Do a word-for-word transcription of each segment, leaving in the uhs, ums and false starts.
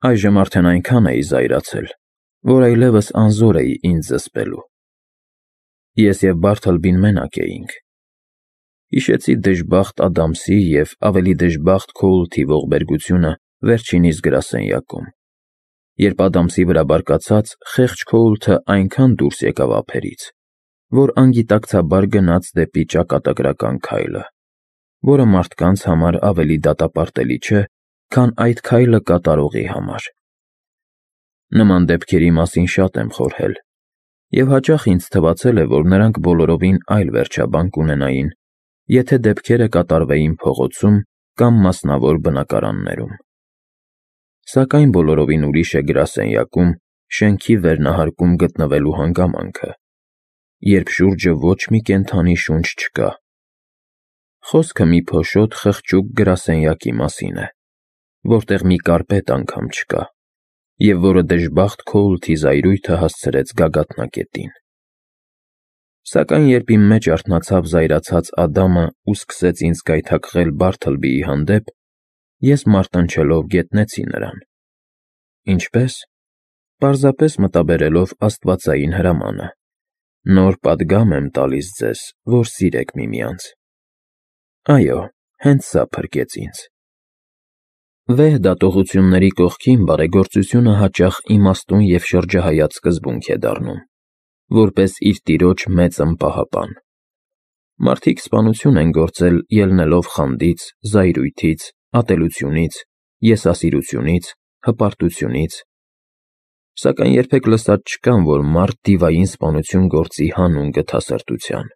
Այժմ արդեն այնքան էի զայրացել, որ այլևս անզոր էի ինձ զսպելու։ Ես և Բարթլբին մենակ էինք։ Հիշեցի դժբախտ Ադամսի և ավելի դժբախտ Քոուլթի ողբերգությունը վերջինիս գրասենյակում, երբ Ադամսի վրա բարկացած խեղճ Քոուլթը այնքան դուրս եկավ ափերից, որ անգիտակցաբար գնաց դեպի ճակատագրական քայլը, որը մարդկանց համար ավելի դատապարտելի չէ, քան այդ քայլը կատարողի համար։ Նման դեպքերի մասին շատ եմ խորհել, և հաճախ ինձ թվացել է, որ նրանք բոլորովին այլ վերջաբան կունենային, եթե դեպքերը կատարվեին փողոցում կամ մասնավոր բնակարաններում։ Սակայն բոլորովին ուրիշ է գրասենյակում, շենքի վերնահարկում գտնվելու հանգամանքը, երբ շուրջը ոչ մի կենդանի շունչ չկա։ Խոսքը մի փոշոտ խղճուկ գրասենյակի մասին է, որտեղ մի կարպետ անգամ չկա, և որը դժբախտ Քոուլթի զայրույթը հասցրեց գագաթնակետին։ Սակայն երբ իմ մեջ արթնացավ զայրացած Ադամը ու սկսեց ինձ գայթակղել Բարթլբիի հանդեպ, ես մարտնչելով գետնեցի նրան։ Ինչպե՞ս։ Պարզապես մտաբերելով աստվածային հրամանը. «Նոր պատգամ եմ տալիս ձեզ, որ սիրեք միմյանց»։ Այո, հենց սա փրկեց ինձ։ Վեհ դատողությունների կողքին բարեգործությունը հաճախ իմաստուն և շրջահայաց սկզբունք է դառնում, որպես իր տիրոջ մեծն պահապան։ Մարդիկ սպանություն են գործել ելնելով խանդից, զայրույթից, ատելությունից, եսասիրությունից, հպարտությունից, սակայն երբեք լսած չկան, որ մարդ դիվային սպանություն գործի հանուն գթասրտության։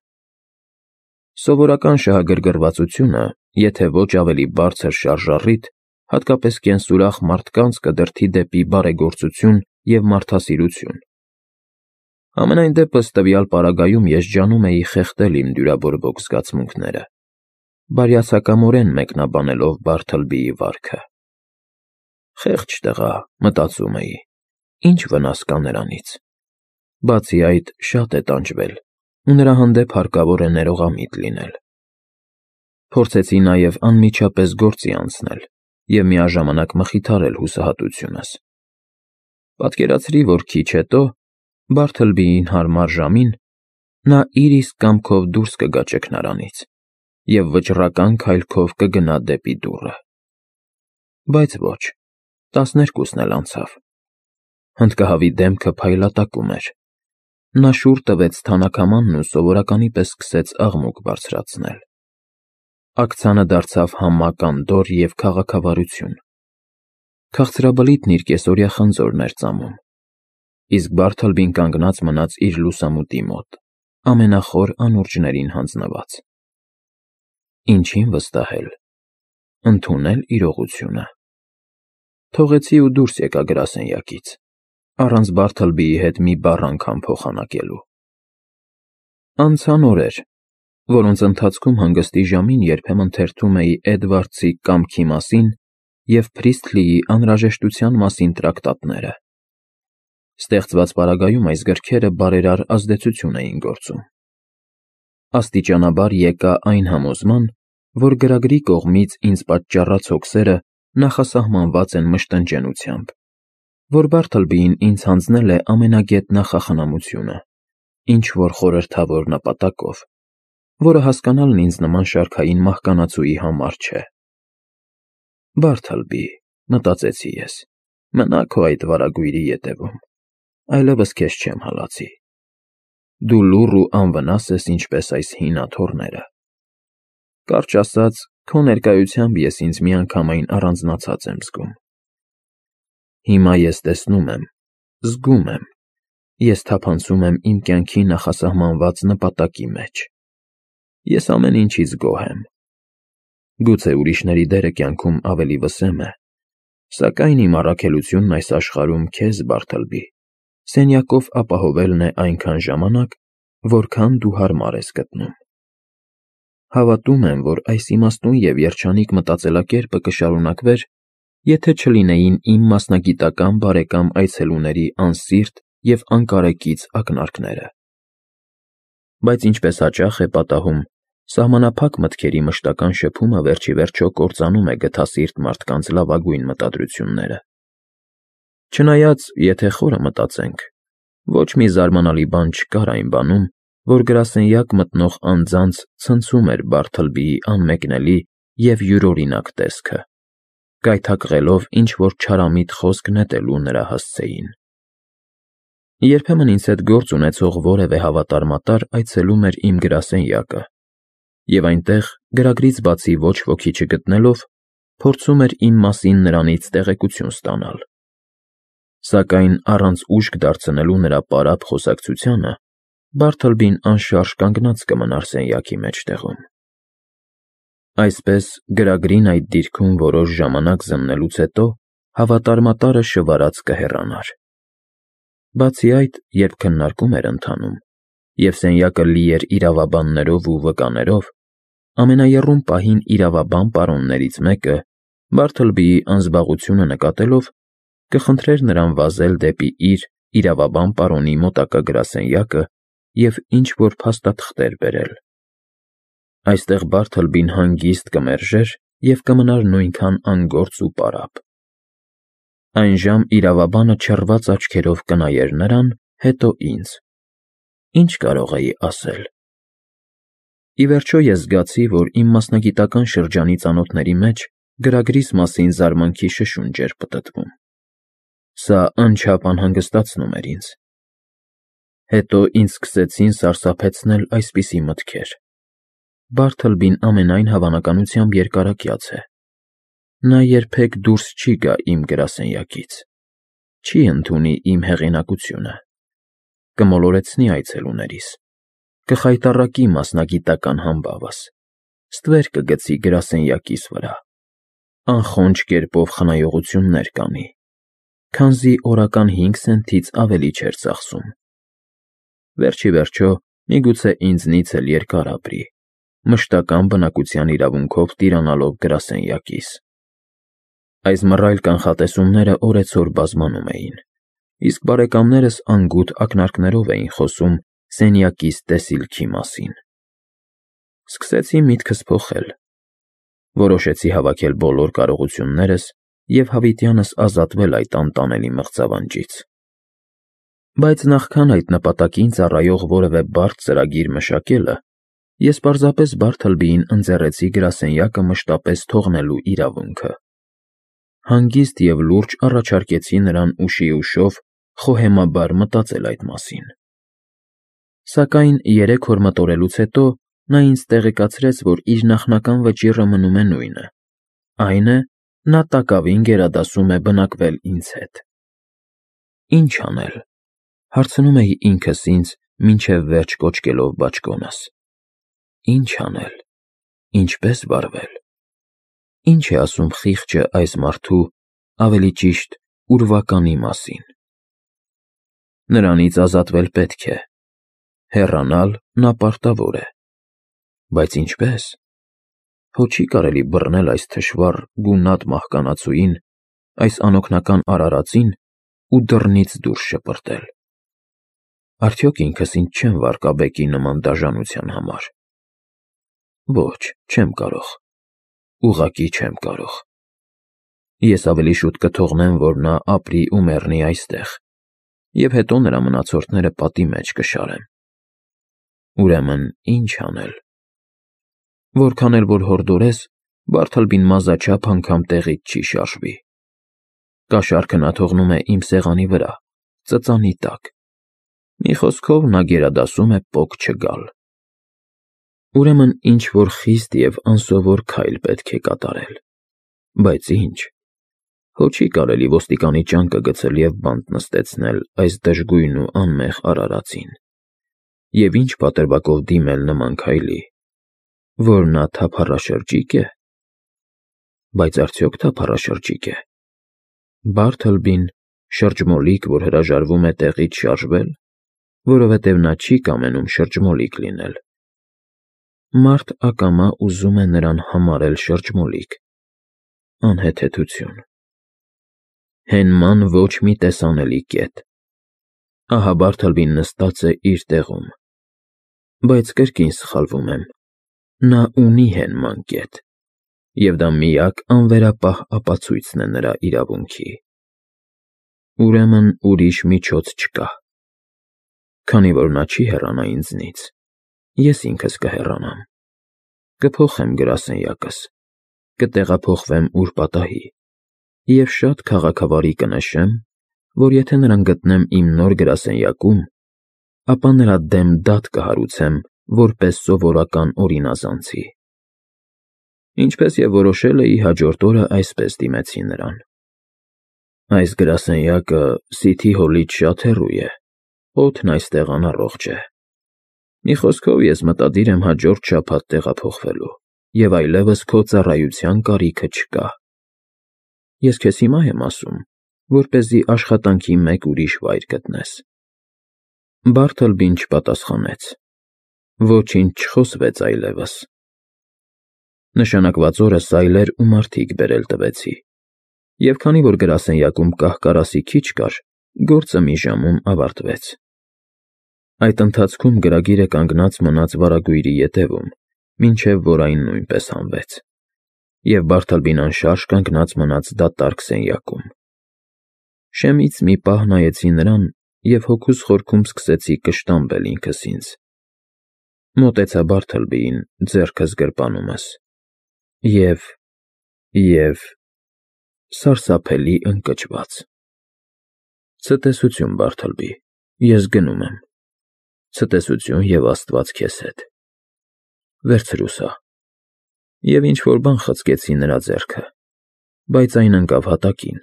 Սովորական շահագրգռվածությունը, եթե ոչ ավելի բարձր շարժառիթ, հատկապես կենսուրախ մարդկանց կդրդի դեպի բարեգործություն և մարդասիրություն։ Համենայն դեպս տվյալ պարագայում ես ջանում էի խեղդել իմ դյուրավորվող զգացմունքները, բարյացակամորեն մեկնաբանելով Բարթլբիի վարքը։ Խեղճ տղա, մտածում էի, ինչ վնաս կա նրանից։ Բացի այդ, շատ է տանջվել, ու նրա հանդեպ հարկավոր է ներողամիտ լինել։ Փորձեցի նաև անմիջապես գործի անցնել և միաժամանակ մխիթարել հուսահատությունս։ Պատկերացրի, որ քիչ հետո, Բարթլբիին հարմար ժամին, նա իր իսկ կամքով դուրս կգա ճգնարանից և վճռական քայլքով կգնա դեպի դուռը։ Բայց ոչ, տասներկուսն էլ անցավ։ Հնդկահավի դեմքը փայլատակում էր։ Նա շուռ տվեց թանաքամանն ու սովորականի պես սկսեց աղմուկ բարձրացնել։ Աքցանը դարձավ համակ անդորր և քաղաքավարություն։ Քաղցրաբլիթն իր կեսօրյա խնձորն էր ծամում, իսկ Բարթլբին կանգնած մնաց իր լուսամուտի մոտ, ամենախոր անուրջներին հանձնված։ Ինչին վստահել։ Ընդունել իրողությունը։ Թողեցի ու դուրս եկա գրասենյակից, առանց Բարթլբիի հետ մի բառ անգամ փոխանակելու։ Անցան օրեր, որոնց ընթացքում հանգստի ժամին երբեմն թերթում էի Էդվարդսի «Կամքի մասին» և Փրիստլիի «Անհրաժեշտության մասին» տրակտատները։ Ստեղծված պարագայում այս գրքերը բարերար ազդեցություն էին գործում։ Աստիճանաբար եկա այն համոզման, որ գրագրի կողմից ինձ պատճառած հոգսերը նախասահմանված են մշտնջենությամբ, որ Բարթլբիին ինձ հանձնել է ամենագետ նախախնամությունը, ինչ-որ խորհրդավոր նպատակով, որը հասկանալն ինձ նման շարքային մահկանացուի համար չէ։ Բարթլբի, մտածեցի ես, մնա քո այդ վարագույրի ետևում, այլևս քեզ չեմ հալածի։ Դու լուռ ու անվնաս ես ինչպես այս հին աթոռները։ Կարճ ասած, քո ներկայությամբ ես ինձ միանգամայն առանձնացած եմ զգում։ Հիմա ես տեսնում եմ, զգում եմ, ես թափանցում եմ իմ կյանքի նախասահմանված նպատակի մեջ։ Ես ամեն ինչից գոհ եմ։ Գուցե ուրիշների դերը կյանքում ավելի վսեմ է, սակայն իմ առաքելությունն այս աշխարհում քեզ, Բարթլբի, սենյակով ապահովելն է այնքան ժամանակ, որքան դու հարմար ես գտնում։ Հավատում եմ, որ այս իմաստուն և երջանիկ մտածելակերպը կշարունակվեր, եթե չլինեին իմ մասնագիտական բարեկամ այցելուների անսիրտ և անկարեկից ակնարկները։ Բայց ինչպես հաճախ է պատահում, սահմանափակ մտքերի մշտական շփումը վերջ ի վերջո կործանում է գթասիրտ մարդկանց լավագույն մտադրությունները։ Չնայած, եթե խորը մտածենք, ոչ մի զարմանալի բան չկար այն բանում, որ գրասենյակ մտնող անձանց ցնցում էր Բարթլբիի անմեկնելի և յուրօրինակ տեսքը, գայթակղելով ինչ-որ չարամիտ խոսք նետելու նրա հասցեին։ Երբեմն ինձ հետ գործ ունեցող որևէ հավատարմատար այցելում էր իմ գրասենյակը և այնտեղ, գրագրից բացի ոչ ոքի չգտնելով, փորձում էր իմ մասին նրանից տեղեկություն ստանալ։ Սակայն առանց ուշք դարձնելու նրա պարապ խոսակցությանը, Բարթլբին անշարժ կանգնած կմնար սենյակի մեջտեղում։ Այսպես, գրագրին այդ դիրքում որոշ ժամանակ զննելուց հետո հավատարմատարը շվարած կհեռանար։ Բացի այդ, երբ քննարկում էր ընթանում, և սենյակը լի էր իրավաբաններով ու վկաներով, ամենաեռում պահին իրավաբան պարոններից մեկը, Բարթլբիի անզբաղությունը նկատելով, կխնդրեր նրան վազել դեպի իր՝ իրավաբան պարոնի մոտակա գրասենյակը և ինչ-որ փաստաթղթեր բերել։ Այստեղ Բարթլբին հանգիստ կմերժեր և կմնար նույնքան անգործ ու պարապ։ Այն ժամ իրավաբանը չռված աչքերով կնայեր նրան, հետո ինձ։ Ինչ կարող էի ասել։ Ի վերջո ես զգացի, որ իմ մասնագիտական շրջանի ծանոթների մեջ գրագրիս մասին զարմանքի շշունջ էր պտտվում։ Սա անչափ անհանգստացնում էր ինձ։ Հետո ինձ սկսեցին սարսափեցնել այսպիսի մտքեր. Բարթլբին ամենայն հավանականությամբ երկարակյաց է։ Նա երբեք դուրս չի գա իմ գրասենյակից, չի ընդունի իմ հեղինակությունը, կմոլորեցնի այցելուներիս, կխայտառակի մասնագիտական համբավս, ստվեր կգցի գրասենյակիս վրա, անխոնջ կերպով խնայողություններ կանի, քանզի օրական հինգ սենթից ավելի չէր ծախսում։ Վերջ ի վերջո, միգուցե ինձնից էլ երկար ապրի, մշտական բնակության իրավունքով տիրանալով գրասենյակիս։ Այս մռայլ կանխատեսումները օրեցօր բազմանում էին, իսկ բարեկամներս անգութ ակնարկներով էին խոսում սենյակիս տեսիլքի մասին։ Սկսեցի միտքս փոխել։ Որոշեցի հավաքել բոլոր կարողություններս և հավիտյանս ազատվել այդ անտանելի մղձավանջից։ Բայց նախքան այդ նպատակին ծառայող որևէ բարդ ծրագիր մշակելը, ես պարզապես Բարթլբիին ընձեռեցի գրասենյակը մշտապես թողնելու իրավունքը։ Հանգիստ և լուրջ առաջարկեցի նրան ուշի ուշով խոհեմաբար մտածել այդ մասին։ Սակայն երեք օր մտորելուց հետո նա ինձ տեղեկացրեց, որ իր նախնական վճիռը մնում է նույնը, այն է, նա տակավին գերադասում է բնակվել ինձ հետ։ Ի՞նչ անել, հարցնում էի ինքս ինձ, մինչև վերջ կոչկելով բաճկոնս։ Ի՞նչ անել, ինչպե՞ս վարվել։ Ի՞նչ է ասում խիղճը այս մարդու, ավելի ճիշտ, ուրվականի մասին։ Նրանից ազատվել պետք է, հեռանալ նա պարտավոր է։ Բայց ինչպե՞ս։ Հո չի կարելի բռնել այս թշվառ, գունատ մահկանացուին, այս անօգնական արարածին ու դռնից դուրս շպրտել։ Արդյոք ինքս ինձ չեմ վարկաբեկի նման դաժանության համար։ Ոչ, չեմ կարող, ուղղակի չեմ կարող։ Ես ավելի շուտ կթողնեմ, որ նա ապրի ու մեռնի այստեղ, և հետո նրա մնացորդները պատի մեջ կշարեմ։ Ուրեմն ի՞նչ անել։ Որքան էլ որ հորդորես, Բարթլբին մազաչափ անգամ տեղից չի շարժվի։ Կաշառքը նա թողնում է իմ սեղանի վրա, ծծանի տակ։ Մի խոսքով, նա գերադասում է պոկ չգալ։ Ուրեմն ինչ-որ խիստ և անսովոր քայլ պետք է կատարել։ Բայց ի՞նչ։ Հո չի կարելի ոստիկանի ճանկը գցել և բանտ նստեցնել այս դժգույն ու անմեղ արարածին։ Եվ ի՞նչ պատրվակով դիմել նման քայլի։ Որ նա թափառաշրջիկ է։ Բայց արդյոք թափառաշրջիկ է։ Բարթլբին, շրջմոլիկ, որ հրաժարվում է տեղից շարժվել, որովհետև նա չի կամենում շրջմոլիկ լինել։ Մարդ ակամա ուզում է նրան համարել շրջմոլիկ։ Անհեթեթություն։ Հենման ոչ մի տեսանելի կետ։ Ահա Բարթլբին նստած է իր տեղում։ Բայց կրկին սխալվում եմ։ Նա ունի հենման կետ, և դա միակ անվերապահ ապացույցն է նրա իրավունքի։ ուրեմն ուրիշ միջոց չկա։ Քանի որ նա չի հեռանա ինձնից, ես ինքս կհեռանամ, կփոխեմ գրասենյակս, կտեղափոխվեմ ուր պատահի և շատ քաղաքավարի կնշեմ, որ եթե նրան գտնեմ իմ նոր գրասենյակում, ապա նրա դեմ դատ կհարուցեմ որպես սովորական օրինազանցի։ Ինչպես և որոշել էի, հաջորդ օրը այսպես դիմեցի նրան. Այս գրասենյակը Սիթի Հոլից շատ հեռու է, օդն այստեղ անառողջ է։ Մի խոսքով, ես մտադիր եմ հաջորդ շաբաթ տեղափոխվելու և այլևս քո ծառայության կարիքը չկա։ Ես քեզ հիմա եմ ասում, որպեսզի աշխատանքի մեկ ուրիշ վայր գտնես։ Բարթլբին չպատասխանեց։ Ոչինչ չխոսվեց այլևս։ Նշանակված օրը սայլեր ու մարդիկ բերել տվեցի, և քանի որ գրասենյակում կահ֊կարասի քիչ կար, գործը մի ժամում ավարտվեց։ Այդ ընթացքում գրագիրը կանգնած մնաց վարագույրի ետևում, մինչև որ այն նույնպես հանվեց, և Բարթլբին անշարժ կանգնած մնաց դատարկ սենյակում։ Շեմից մի պահ նայեցի նրան և հոգուս խորքում սկսեցի կշտամբել ինքս ինձ։ Մոտեցա Բարթլբիին, ձեռքս գրպանումս, և… և… սարսափելի ընկճված։ Ցտեսություն, Բարթլբի, ես գնում եմ։ Ցտեսություն և Աստված քեզ հետ։ Վերցրու սա։ Եվ ինչ֊որ բան խցկեցի նրա ձեռքը, բայց այն ընկավ հատակին,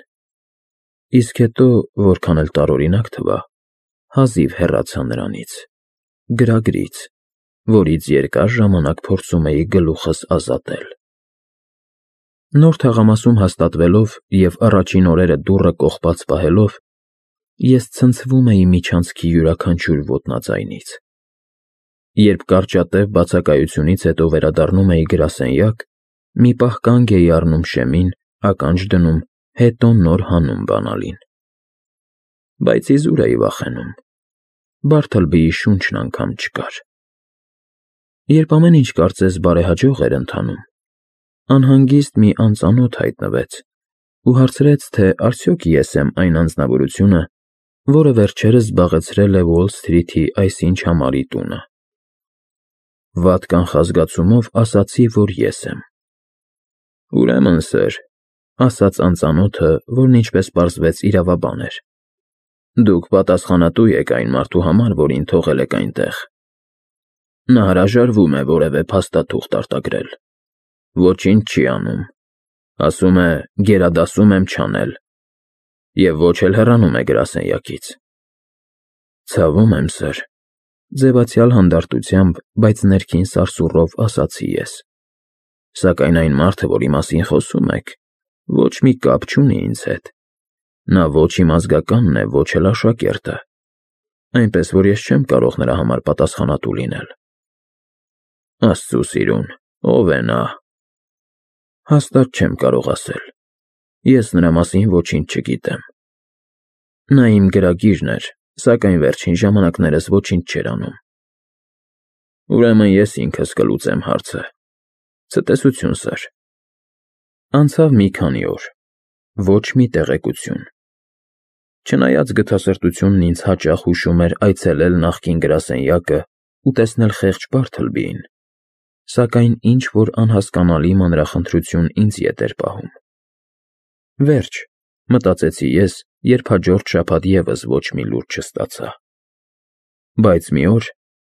իսկ հետո, որքան էլ տարօրինակ թվա, հազիվ հեռացա նրանից, գրագրից, որից երկար ժամանակ փորձում էի գլուխս ազատել։ Նոր թաղամասում հաստատվելով և առաջին օրերը դուռը կողպած պահելով, ես ցնցվում էի միջանցքի յուրաքանչյուր ոտնաձայնից։ Երբ կարճատև բացակայությունից հետո վերադառնում էի գրասենյակ, մի պահ կանգ էի առնում շեմին, ականջ դնում, հետո նոր հանում բանալին։ Բայց իզուր էի վախենում։ Բարթլբիի շունչն անգամ չկար։ Երբ ամեն ինչ կարծես բարեհաջող էր ընթանում, անհանգիստ մի անծանոթ հայտնվեց ու հարցրեց, թե արդյոք ես եմ այն անձնավորությունը, որը վերջերս զբաղեցրել է Ուոլ Սթրիթի այսինչ համարի տունը։ Վատ կանխազգացումով ասացի, որ ես եմ։ Ուրեմն, սըր, ասաց անծանոթը, որն ինչպես պարզվեց իրավաբան էր, դուք պատասխանատու եք այն մարդու համար, որին թողել եք այնտեղ։ Նա հրաժարվում է որևէ փաստաթուղթ արտագրել, ոչինչ չի անում, ասում է գերադասում եմ չանել և ոչ էլ հեռանում է գրասենյակից։ Ցավում եմ, սըր, ձևացյալ հանդարտությամբ, բայց ներքին սարսուռով ասացի ես, սակայն այն մարդը, որի մասին խոսում եք, ոչ մի կապ չունի ինձ հետ, նա ոչ իմ ազգականն է, ոչ էլ աշակերտը, այնպես որ ես չեմ կարող նրա համար պատասխանատու լինել։ Աստծու սիրուն, ո՞վ է նա։ Հաստատ չեմ կարող ասել, ես նրա մասին ոչինչ չգիտեմ։ Նա իմ գրագիրն էր, սակայն վերջին ժամանակներս ոչինչ չէր անում։ Ուրեմն ես ինքս կլուծեմ հարցը։ Ցտեսություն, սըր։ Անցավ մի քանի օր, ոչ մի տեղեկություն։ Չնայած գթասրտությունն ինձ հաճախ հուշում էր այցելել նախկին գրասենյակը ու տեսնել խեղճ Բարթլբիին, սակայն ինչ֊որ անհասկանալի մանրախնդրություն ինձ ետ էր պահում։ Վերջ, մտածեցի ես, երբ հաջորդ շաբաթ ևս ոչ մի լուրջ չստացա։ Բայց մի օր,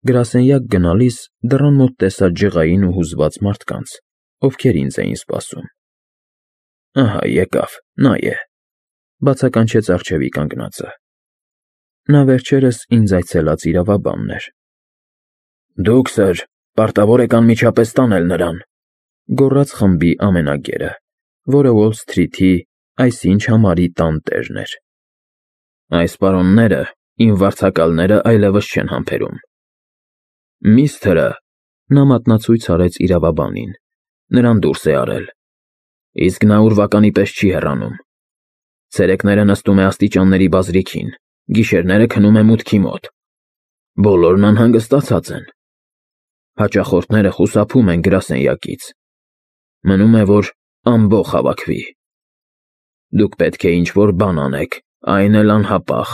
գրասենյակ գնալիս, դռան մոտ տեսա ջղային ու հուզված մարդկանց, ովքեր ինձ էին սպասում։ Ահա եկավ, նա է, բացականչեց առջևի կանգնածը։ Նա վերջերս ինձ այցելած իրավաբանն էր։ Դուք, սըր, պարտավոր եք անմիջապես տանել նրան, գոռաց խմբի ամենագերը, որը Ուոլ Սթրիթի այսինչ համարի տանտերն էր։ Այս պարոնները, իմ վարձակալները այլևս չեն համբերում։ Միստրը, նա մատնացույց արեց իրավաբանին, նրան դուրս է արել, իսկ նա ուրվականի պես չի հեռանում։ Ցերեկները նստում է աստիճանների բազրիքին, գիշերները քնում է մուտքի մոտ։ Բոլորն անհանգստացած են։ Հաճախորդները խուսափում են գրասենյակից։ Մնում է, որ ամբոխ հավաքվի։ Դուք պետք է ինչ-որ բան անեք, Այն էլ անհապաղ։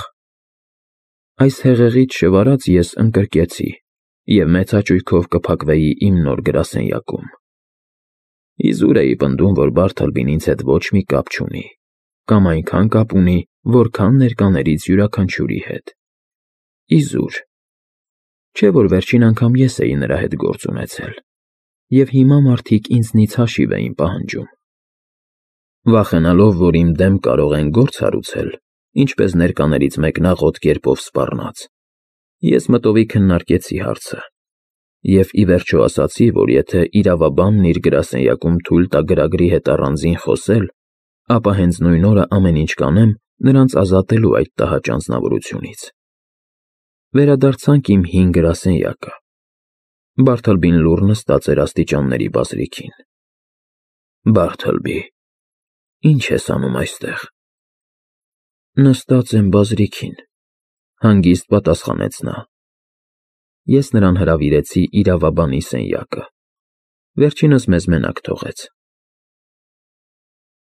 Այս հեղեղից շվարած ես ընկրկեցի և մեծ հաճույքով կփակվեի իմ նոր գրասենյակում։ Իզուր էի պնդում, որ Բարթլբին ինձ հետ ոչ մի կապ չունի, կամ այնքան կապ ունի, որքան ներկաներից յուրաքանչյուրի հետ։ Իզուր։ Չէ՞ որ վերջին անգամ ես էի նրա հետ գործ ունեցել, և հիմա մարդիկ ինձնից հաշիվ էին պահանջում։ Վախենալով, որ իմ դեմ կարող են գործ հարուցել, ինչպես ներկաներից մեկն աղոտ կերպով սպառնաց, ես մտովի քննարկեցի հարցը և ի վերջո ասացի, որ եթե իրավաբանն իր գրասենյակում թույլ տա գրագրի հետ առանձին խոսել, ապա հենց նույն օրը ամեն ինչ կանեմ նրանց ազատելու այդ տհաճ անձնավորությունից։ Վերադարձանք իմ հին գրասենյակը։ Բարթլբին լուռ նստած էր աստիճանների բազրիքին։ Բարթլբի, ի՞նչ ես անում այստեղ։ Նստած եմ բազրիքին, հանգիստ պատասխանեց նա։ Ես նրան հրավիրեցի իրավաբանի սենյակը։ Վերջինս մեզ մենակ թողեց։